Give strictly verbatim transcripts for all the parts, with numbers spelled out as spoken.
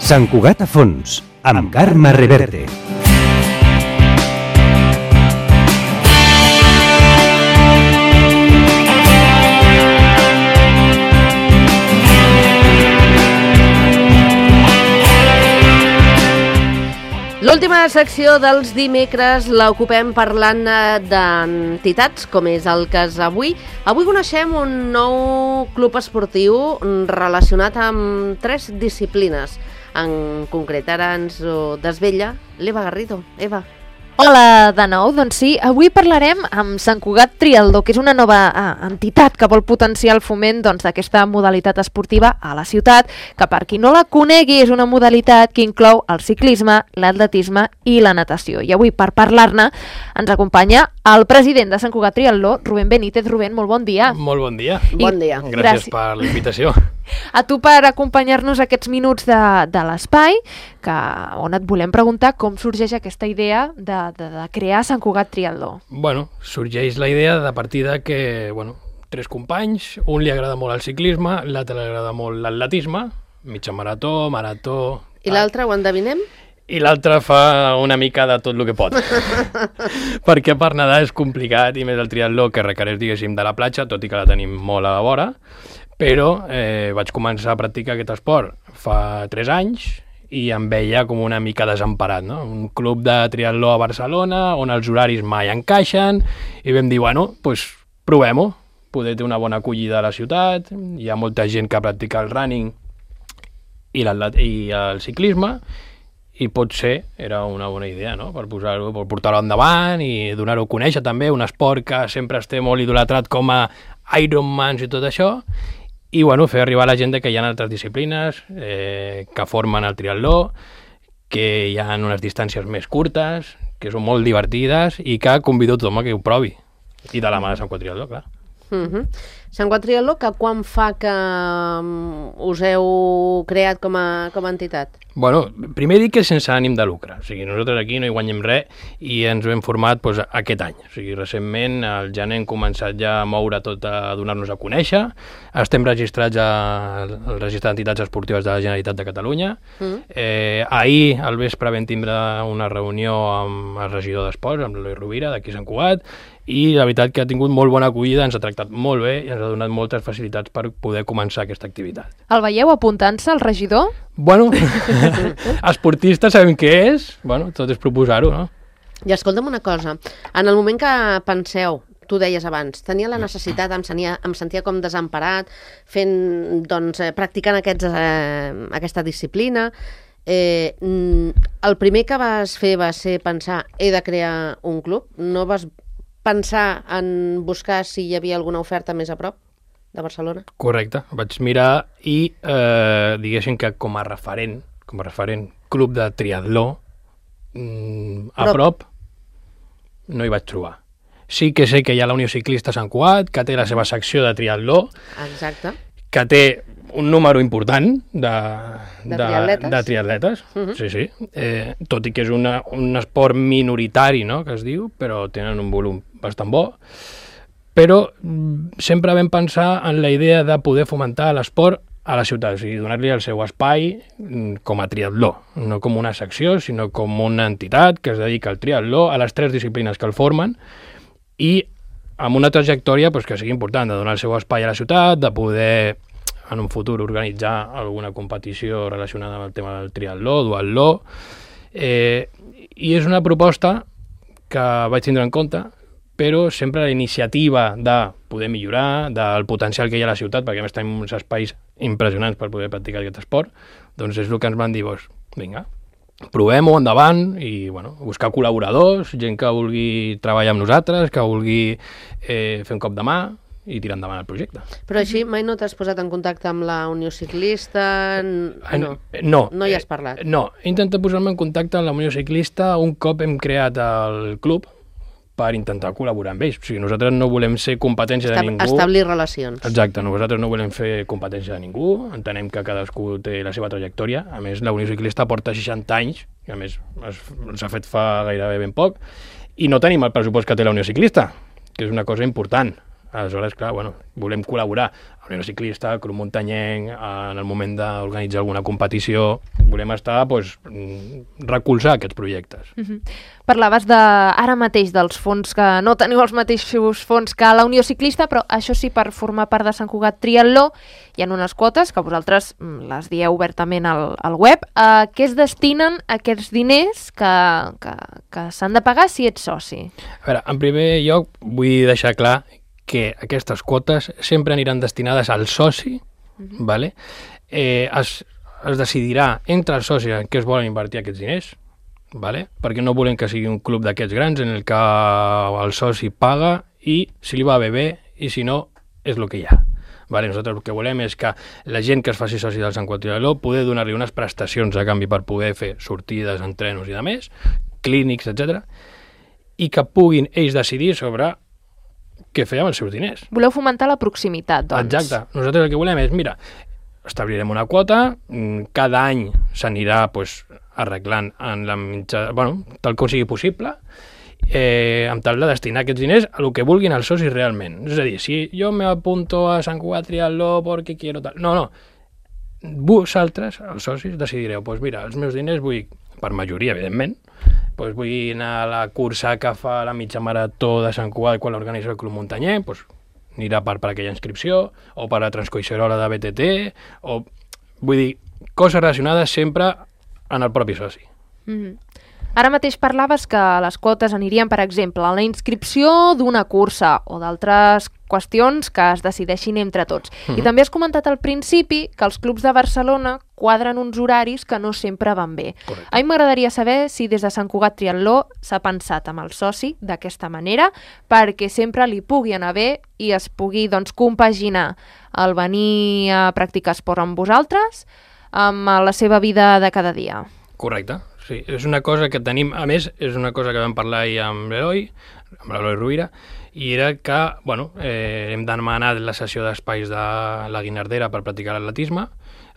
Sant Cugat a fons, amb Carme Reverte. L'última secció dels dimecres l'ocupem parlant d'entitats, com és el cas avui. Avui coneixem un nou club esportiu relacionat amb tres disciplines. En concret, ara ens ho desvetlla l'Eva Garrido. Eva. Hola de nou, doncs sí, avui parlarem amb Sant Cugat Triatló, que és una nova ah, entitat que vol potenciar el foment doncs, d'aquesta modalitat esportiva a la ciutat, que per qui no la conegui és una modalitat que inclou el ciclisme, l'atletisme i la natació. I avui, per parlar-ne, ens acompanya el president de Sant Cugat Triatló, Rubén Benítez. Rubén, molt bon dia. Molt bon dia. I bon dia. Gràcies, Gràcies per la invitació. A tu per acompanyar-nos aquests minuts de, de l'espai, que, on et volem preguntar com sorgeix aquesta idea de, de, de crear Sant Cugat Triatló. Bueno, sorgeix la idea de partir de que, bueno, tres companys, un li agrada molt el ciclisme, l'altre li agrada molt l'atletisme, mitja marató, marató... I l'altre ho endevinem? I l'altre fa una mica de tot el que pot. Perquè per nedar és complicat, i més el triatló, que requereix, diguéssim, de la platja, tot i que la tenim molt a la vora, però eh, vaig començar a practicar aquest esport fa tres anys i em veia com una mica desemparat, no? Un club de triatló a Barcelona on els horaris mai encaixen i vam dir, bueno, doncs provem-ho, poder té una bona acollida a la ciutat, hi ha molta gent que practica el running i, i el ciclisme i potser era una bona idea, no? Per posar-ho, per portar-ho endavant i donar-ho a conèixer també, un esport que sempre esté molt idolatrat com a Ironmans i tot això. I bueno, fer arribar a la gent que hi ha altres disciplines eh, que formen el triatló, que hi ha unes distàncies més curtes, que són molt divertides i que convido a tothom a que ho provi. I de la mà de Sant Cugat Triatló, clar. Uh-huh. Sant Cugat Triatló, que quan fa que um, us heu creat com a, com a entitat? Bueno, primer dic que sense ànim de lucre, o sigui, nosaltres aquí no hi guanyem res i ens ho hem format doncs, aquest any. O sigui, recentment, al gener hem començat ja a moure tot, a donar-nos a conèixer, estem registrats al Registre d'Entitats Esportives de la Generalitat de Catalunya. Mm. Eh, ahir, al vespre, vam tindre una reunió amb el regidor d'Esports, amb l'Eloi Rovira, d'aquí Sant Cugat, i la veritat que ha tingut molt bona acollida, ens ha tractat molt bé i ens ha donat moltes facilitats per poder començar aquesta activitat. El veieu apuntant-se al regidor? Bueno, esportistes sabem què és, bueno, tot és proposar-ho, no? I escolta'm una cosa, en el moment que penseu, tu deies abans, tenia la necessitat, em sentia, em sentia com desemparat, fent, doncs, eh, practicant aquests, eh, aquesta disciplina, eh, el primer que vas fer va ser pensar, he de crear un club, no vas pensar en buscar si hi havia alguna oferta més a prop de Barcelona? Correcte, vaig mirar i eh, diguéssim que com a referent, com a referent club de triatló mm, a prop. prop no hi vaig trobar. Sí que sé que hi ha la Unió Ciclista Sant Cugat, que té la seva secció de triatló. Exacte. Que té un número important de, de, de triatletes. De triatletes. Uh-huh. Sí, sí. Eh, tot i que és una, un esport minoritari, no?, que es diu, però tenen un volum bastant bo. Però sempre vam pensar en la idea de poder fomentar l'esport a la ciutat, o sigui, donar-li el seu espai com a triatló, no com una secció, sinó com una entitat que es dedica al triatló, a les tres disciplines que el formen, i amb una trajectòria doncs, que sigui important, de donar el seu espai a la ciutat, de poder en un futur organitzar alguna competició relacionada amb el tema del triatló, duatló, eh, i és una proposta que vaig tindre en compte, però sempre la iniciativa de poder millorar, del potencial que hi ha a la ciutat, perquè a més tenim uns espais impressionants per poder practicar aquest esport, doncs és el que ens van dir, doncs, vinga, provem-ho endavant i bueno, buscar col·laboradors, gent que vulgui treballar amb nosaltres, que vulgui eh, fer un cop de mà i tirar endavant el projecte. Però així mai no t'has posat en contacte amb la Unió Ciclista? No, no, no hi has parlat? No, he intentat posar-me en contacte amb la Unió Ciclista un cop hem creat el club per intentar col·laborar amb ells. O sigui, nosaltres no volem ser competència de ningú. Establir relacions. Exacte, nosaltres no volem fer competència de ningú, entenem que cadascú té la seva trajectòria. A més, la Unió Ciclista porta seixanta anys, que a més s'ha fet fa gairebé ben poc, i no tenim el pressupost que té la Unió Ciclista, que és una cosa important. Aleshores, clar, bueno, volem col·laborar amb l'Unió Ciclista, el Club Muntanyenc, en el moment d'organitzar alguna competició, volem estar, doncs, recolzar aquests projectes. Uh-huh. Parlaves de, ara mateix dels fons, que no teniu els mateixos fons que la Unió Ciclista, però això sí, per formar part de Sant Cugat Triatló, hi ha unes quotes que vosaltres les dieu obertament al, al web. A què es destinen aquests diners que, que, que s'han de pagar si ets soci? A veure, en primer lloc vull deixar clar que aquestes quotes sempre aniran destinades al soci, uh-huh. vale? eh, es, es decidirà entre els socis en què es volen invertir aquests diners, vale? Perquè no volem que sigui un club d'aquests grans en el que el soci paga i si li va bé bé i si no és el que hi ha. Vale? Nosaltres el que volem és que la gent que es faci soci del Sant Cugat Triatló poder donar-li unes prestacions a canvi per poder fer sortides, entrenos i de més, clínics, etcètera, i que puguin ells decidir sobre què fer amb els seus diners. Voleu fomentar la proximitat, doncs. Exacte. Nosaltres el que volem és, mira, establirem una quota, cada any s'anirà pues, arreglant en la mitja, bueno, tal com sigui possible, eh, amb tal de destinar aquests diners a el que vulguin els socis realment. És a dir, si jo m'apunto a Sant Cugat Triatló perquè quiero tal... No, no. Vosaltres, els socis, decidireu, doncs mira, els meus diners vull, per majoria, evidentment, doncs vull anar a la cursa que fa la mitja marató de Sant Cugat quan l'organitza el Club Muntanyenc, doncs anirà per, per aquella inscripció, o per la Transcoixerola de B T T, o... Vull dir, coses relacionades sempre en el propi soci. Mm-hmm. Ara mateix parlaves que les quotes anirien, per exemple, a la inscripció d'una cursa o d'altres qüestions que es decideixin entre tots. Mm-hmm. I també has comentat al principi que els clubs de Barcelona quadren uns horaris que no sempre van bé. Correcte. A mi m'agradaria saber si des de Sant Cugat Triatló s'ha pensat amb el soci d'aquesta manera perquè sempre li pugui anar bé i es pugui doncs, compaginar el venir a practicar esport amb vosaltres amb la seva vida de cada dia. Correcte. Sí, és una cosa que tenim, a més, és una cosa que vam parlar ahir amb l'Eloi, amb l'Eloi Rovira, i era que, bueno, eh, hem demanat la sessió d'espais de la Guinardera per practicar l'atletisme.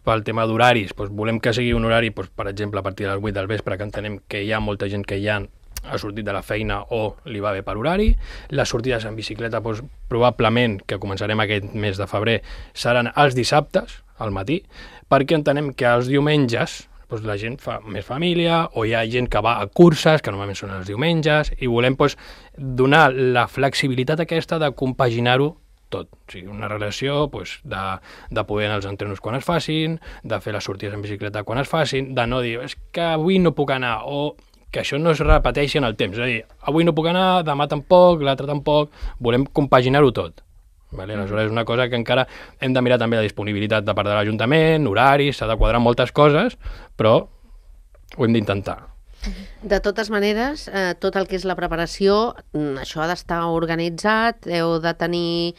Pel tema d'horaris, doncs volem que sigui un horari, doncs, per exemple, a partir de les vuit del vespre, que entenem que hi ha molta gent que ja ha sortit de la feina o li va bé per horari. Les sortides en bicicleta, doncs, probablement, que començarem aquest mes de febrer, seran els dissabtes, al matí, perquè entenem que els diumenges doncs la gent fa més família, o hi ha gent que va a curses, que normalment són els diumenges, i volem doncs, donar la flexibilitat aquesta de compaginar-ho tot. O sigui, una relació doncs, de, de poder anar als entrenos quan es facin, de fer les sortides en bicicleta quan es facin, de no dir, és que avui no puc anar, o que això no es repeteixi en el temps. És a dir, avui no puc anar, demà tampoc, l'altre tampoc, volem compaginar-ho tot. Vale? Aleshores és una cosa que encara hem de mirar també la disponibilitat de part de l'Ajuntament, horaris, s'ha de quadrar moltes coses, però ho hem d'intentar. De totes maneres, eh, tot el que és la preparació, això ha d'estar organitzat, heu de tenir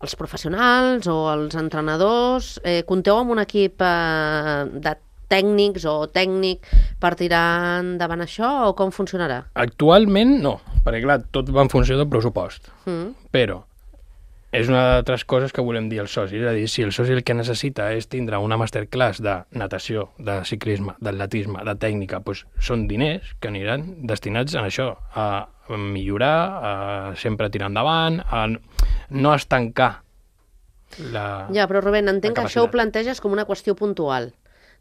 els professionals o els entrenadors, eh, compteu amb un equip eh, de tècnics o tècnic per tirar endavant això o com funcionarà? Actualment no, perquè clar, tot va en funció del pressupost, mm. però és una d'altres coses que volem dir als socis, és a dir, si el soci el que necessita és tindre una masterclass de natació, de ciclisme, d'atletisme, de tècnica, doncs són diners que aniran destinats a això, a millorar, a sempre tirar endavant, a no estancar la Ja, però Rubén, entenc que això ho planteges com una qüestió puntual.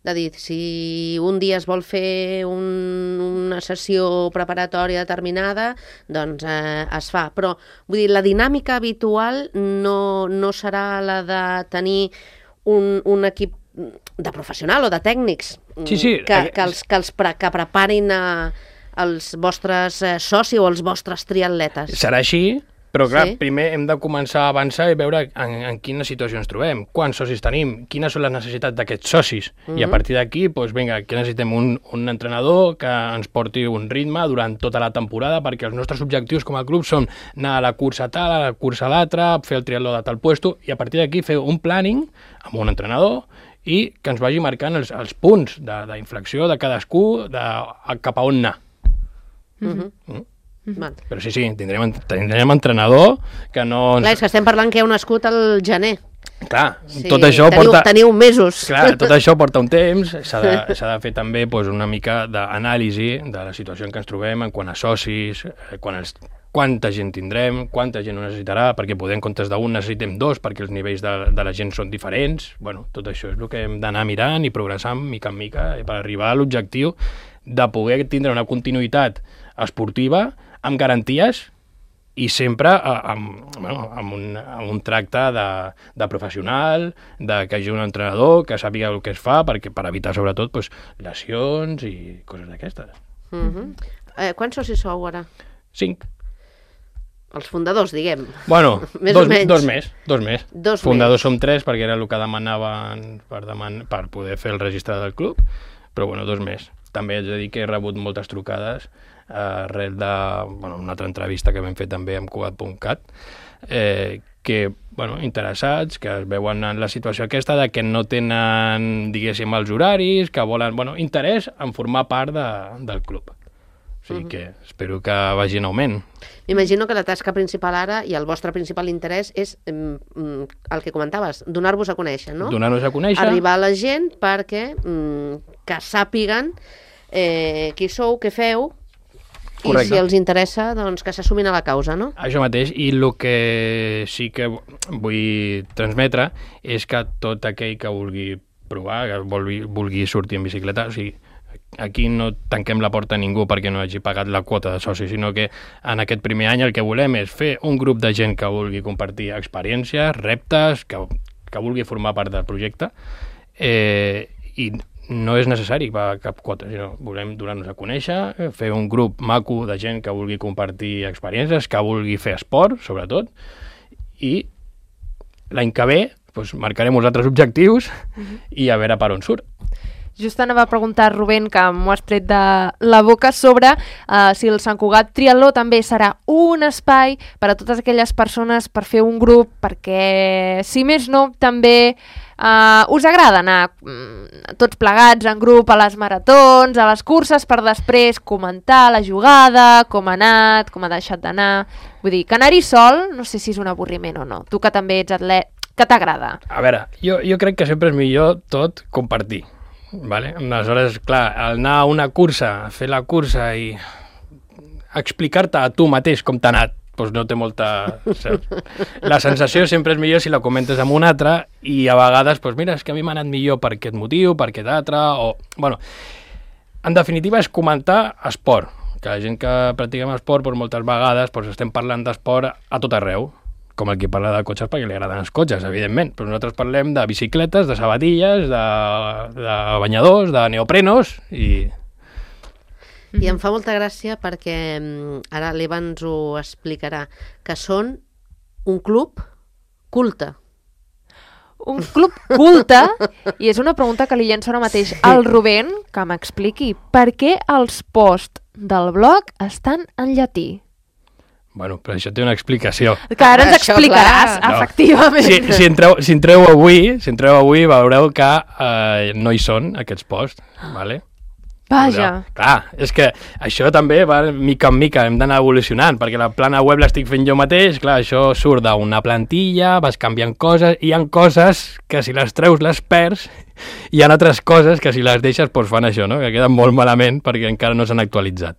De dir, si un dia es vol fer un, una sessió preparatòria determinada, doncs eh, es fa. Però, vull dir, la dinàmica habitual no, no serà la de tenir un, un equip de professional o de tècnics sí, sí. que, que, els, que, els pre, que preparin a, els vostres eh, socis o els vostres triatletes. Serà així, però clar, sí. primer hem de començar a avançar i veure en, en quina situació ens trobem, quants socis tenim, quines són les necessitats d'aquests socis. Mm-hmm. I a partir d'aquí, doncs vinga, que necessitem un, un entrenador que ens porti un ritme durant tota la temporada, perquè els nostres objectius com a club són anar a la cursa tal, a la cursa a l'altra, fer el triatló de tal puesto, i a partir d'aquí fer un planning amb un entrenador i que ens vagi marcant els, els punts d'inflexió de, de cadascú de, a, cap a on anar. Mm-hmm. Mm? Mm-hmm. Però sí, sí, tindrem, tindrem entrenador que no... Ens... Clar, és que estem parlant que heu nascut al gener. Clar, sí, tot això teniu, porta... Teniu mesos. Clar, tot això porta un temps, s'ha de, s'ha de fer també doncs, una mica d'anàlisi de la situació en què ens trobem, en quant a socis, quan els quanta gent tindrem, quanta gent ho necessitarà, perquè poder en comptes d'un necessitem dos, perquè els nivells de, de la gent són diferents. Bueno, tot això és el que hem d'anar mirant i progressant mica en mica per arribar a l'objectiu de poder tindre una continuïtat esportiva amb garanties i sempre amb, bueno, amb, un, amb un tracte de, de professional, de que hi hagi un entrenador que sàpiga el que es fa, perquè per evitar sobretot pues, lesions i coses d'aquestes. Mm-hmm. eh, quants socis sou ara? Cinc. Els fundadors, diguem. Bueno, més dos, o menys. dos més. Dos més. Dos fundadors més. som tres, perquè era el que demanaven per, deman per poder fer el registre del club, però bueno, dos més. També haig de dir que he rebut moltes trucades eh, arrel de bueno, una altra entrevista que vam fer també amb Cugat punt cat, eh, que, bueno, interessats, que es veuen en la situació aquesta de que no tenen, diguéssim, els horaris, que volen, bueno, interès en formar part de, del club. O sigui que espero que vagi en augment. M'imagino que la tasca principal ara i el vostre principal interès és mm, el que comentaves, donar-vos a conèixer, no? Donar-nos a conèixer. Arribar a la gent perquè mm, que sàpiguen eh, qui sou, què feu, Correcte. I si els interessa, doncs que s'assumin a la causa, no? Això mateix, i el que sí que vull transmetre és que tot aquell que vulgui provar, que vulgui, vulgui sortir en bicicleta, o sigui, aquí no tanquem la porta a ningú perquè no hagi pagat la quota de soci, sinó que en aquest primer any el que volem és fer un grup de gent que vulgui compartir experiències, reptes, que, que vulgui formar part del projecte, eh, i no és necessari pagar cap quota, sinó volem donar-nos a conèixer, fer un grup maco de gent que vulgui compartir experiències, que vulgui fer esport, sobretot, i l'any que ve doncs, marcarem uns altres objectius i a veure per on surt. Just anava a preguntar, Rubén, que m'ho has tret de la boca, sobre uh, si el Sant Cugat Triatló també serà un espai per a totes aquelles persones per fer un grup, perquè, si més no, també uh, us agrada anar mm, tots plegats en grup a les maratons, a les curses, per després comentar la jugada, com ha anat, com ha deixat d'anar. Vull dir, que anar-hi sol, no sé si és un avorriment o no. Tu que també ets atlet, que t'agrada? A veure, jo, jo crec que sempre és millor tot compartir. Vale? Aleshores, clar, anar a una cursa, fer la cursa i explicar-te a tu mateix com t'ha anat, doncs no té molta... La sensació sempre és millor si la comentes amb un altre i a vegades, doncs mira, és que a mi m'ha anat millor per aquest motiu, per aquest altre, o... Bueno, en definitiva és comentar esport, que la gent que practiquem esport, doncs moltes vegades doncs estem parlant d'esport a tot arreu, com el que parla de cotxes perquè li agraden els cotxes, evidentment, però nosaltres parlem de bicicletes, de sabatilles, de, de banyadors, de neoprenos i... I em fa molta gràcia perquè ara l'Eva ens ho explicarà, que són un club culte. Un club culte, i és una pregunta que li llenço ara mateix al Rubén, que m'expliqui per què els posts del blog estan en llatí. Bueno, però això té una explicació. Que ara ens Això, explicaràs, clar. efectivament. Si, si, entreu, si entreu avui, si entreu avui veureu que eh, no hi són aquests posts, vale? Vaja. Veureu? Clar, és que això també va mica en mica, hem d'anar evolucionant, perquè la plana web l'estic fent jo mateix, clar, això surt d'una plantilla, vas canviant coses, i hi ha coses que si les treus les perds, hi ha altres coses que si les deixes doncs fan això, no? Que queden molt malament perquè encara no s'han actualitzat.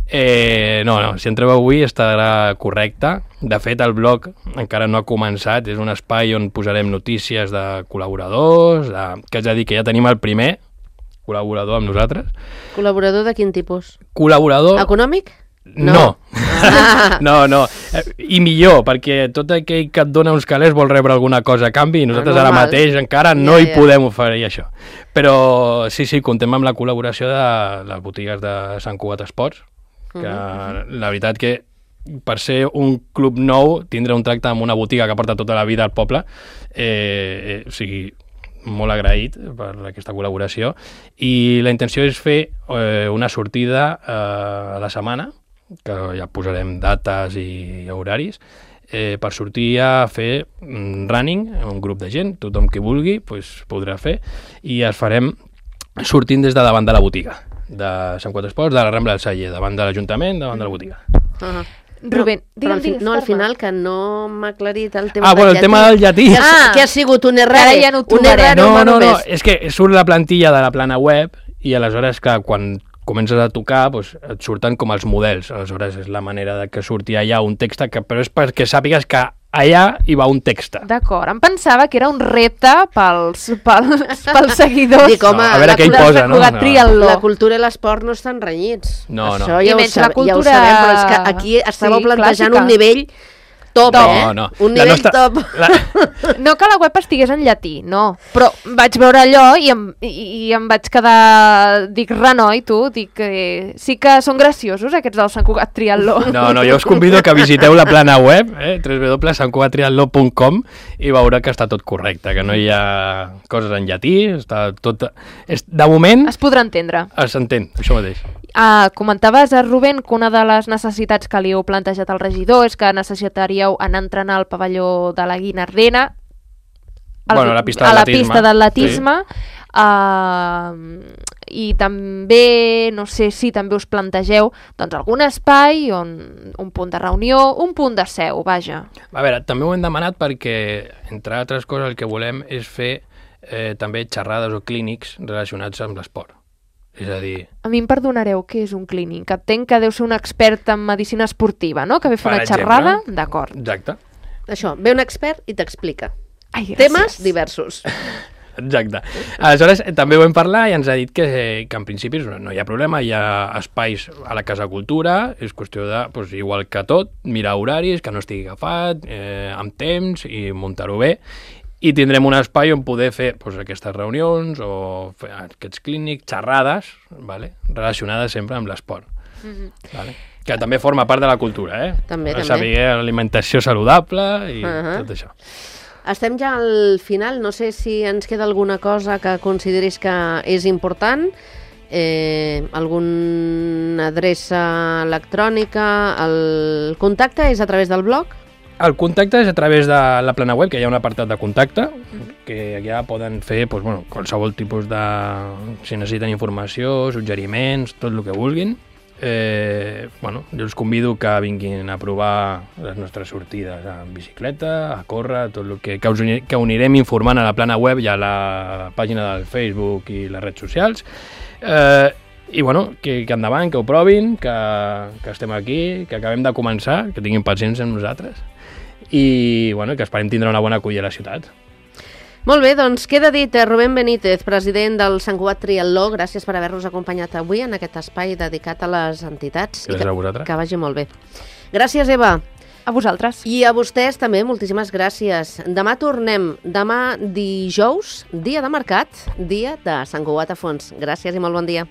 Eh, no, no, si entreu avui estarà correcte. De fet, el blog encara no ha començat, és un espai on posarem notícies de col·laboradors, de... que és a dir, que ja tenim el primer col·laborador amb nosaltres. Col·laborador de quin tipus? Col·laborador... Econòmic? No. No, no, no. I millor, perquè tot aquell que et dona uns calés vol rebre alguna cosa a canvi i nosaltres ara mateix encara no Ja, hi ja. podem oferir això. Però sí, sí, contem amb la col·laboració de les botigues de Sant Cugat Esports, que la veritat que per ser un club nou, tindre un tracte amb una botiga que porta tota la vida al poble, eh, eh, o sigui, molt agraït per aquesta col·laboració, i la intenció és fer eh, una sortida eh, a la setmana, que ja posarem dates i horaris, eh, per sortir a fer running, un grup de gent, tothom que vulgui pues, podrà fer, i es farem sortint des de davant de la botiga de Sant Cugat Esports, de la Rambla del Celler, davant de l'Ajuntament, davant de la botiga. Uh -huh. Rubén, no, però al, digue'm, fi, digues, no, al Carme. final, que no m'ha aclarit el tema Ah, del bueno, el llatí. tema del llatí. Que, ha, Ah. que ha sigut un error. Ara ja no ho un trobarem. error No, no, no, només. és que surt la plantilla de la plana web i aleshores, clar, quan comences a tocar, doncs, et surten com els models. Aleshores, és la manera de que surti allà un text, que, però és perquè sàpigues que allà hi va un text. D'acord, em pensava que era un repte pels, pels, pels seguidors. Dic, home, No, a veure la què hi cultura- posa, no? Jugar No. triatló. La cultura i l'esport no estan renyits. No, no. Això I ja ho, menys la sab ja ho cultura- sabem, però és que aquí estàveu Sí, plantejant clàssica. un nivell top, No, eh? no. Un La nivell nostra- top. La... No que la web estigués en llatí, no. Però vaig veure allò i em, i, i em vaig quedar... Dic, renoi, tu, dic que sí que són graciosos aquests del Sant Cugat Triatló. No, no, jo us convido que visiteu la plana web, eh, w w w punt sant cugat triatló punt com, i veurà que està tot correcte, que no hi ha coses en llatí, està tot... És, de moment Es podrà entendre. s'entén, això mateix. Uh, comentaves, a Rubén, que una de les necessitats que li heu plantejat al regidor és que necessitaríeu anar a entrenar al pavelló de la Guinardena, al- Bueno, a la pista a la d'atletisme. pista d'atletisme, uh, i també, no sé si també us plantegeu doncs, algun espai, on, un punt de reunió, un punt de seu, vaja. A veure, també ho hem demanat perquè, entre altres coses, el que volem és fer eh, també xerrades o clínics relacionats amb l'esport. És a dir, A mi em perdonareu, què és un clínic? Entenc que deu ser un expert en medicina esportiva, no? Que ve a fer Per una exemple. xerrada? D'acord. exacte, Això, ve un expert i t'explica. Ai, gràcies. Temes diversos. exacte. Aleshores, eh, també ho vam parlar i ens ha dit que, que en principi no, no hi ha problema, hi ha espais a la Casa Cultura, és qüestió de, doncs, igual que tot, mirar horaris, que no estigui agafat, eh, amb temps i muntar-ho bé, i tindrem un espai on poder fer doncs, aquestes reunions o fer aquests clínics, xerrades, vale? Relacionades sempre amb l'esport. Mhm. Vale? Que també forma part de la cultura, eh? També, també. Saber alimentació saludable i uh Ahà. -huh. tot això. Estem ja al final, no sé si ens queda alguna cosa que consideris que és important, eh, alguna adreça electrònica, el contacte és a través del blog? El contacte és a través de la plana web, que hi ha un apartat de contacte, que ja poden fer doncs, bueno, qualsevol tipus de... si necessiten informació, suggeriments, tot el que vulguin. Eh, bueno, jo els convido que vinguin a provar les nostres sortides en bicicleta, a córrer, tot el que, que, us, uni- que ho anirem informant a la plana web i a la pàgina del Facebook i les redes socials. Eh, I bueno, que, que endavant, que ho provin, que, que estem aquí, que acabem de començar, que tinguin paciència amb nosaltres i bueno, que esperem tindre una bona acollida a la ciutat. Molt bé, doncs queda dit, eh, Rubén Benítez, president del Sant Cugat Triatló, gràcies per haver-nos acompanyat avui en aquest espai dedicat a les entitats. Gràcies I que, a vosaltres. que vagi molt bé. Gràcies, Eva. A vosaltres. I a vostès també, moltíssimes gràcies. Demà tornem, demà dijous, dia de mercat, dia de Sant Cugat a fons. Gràcies i molt bon dia.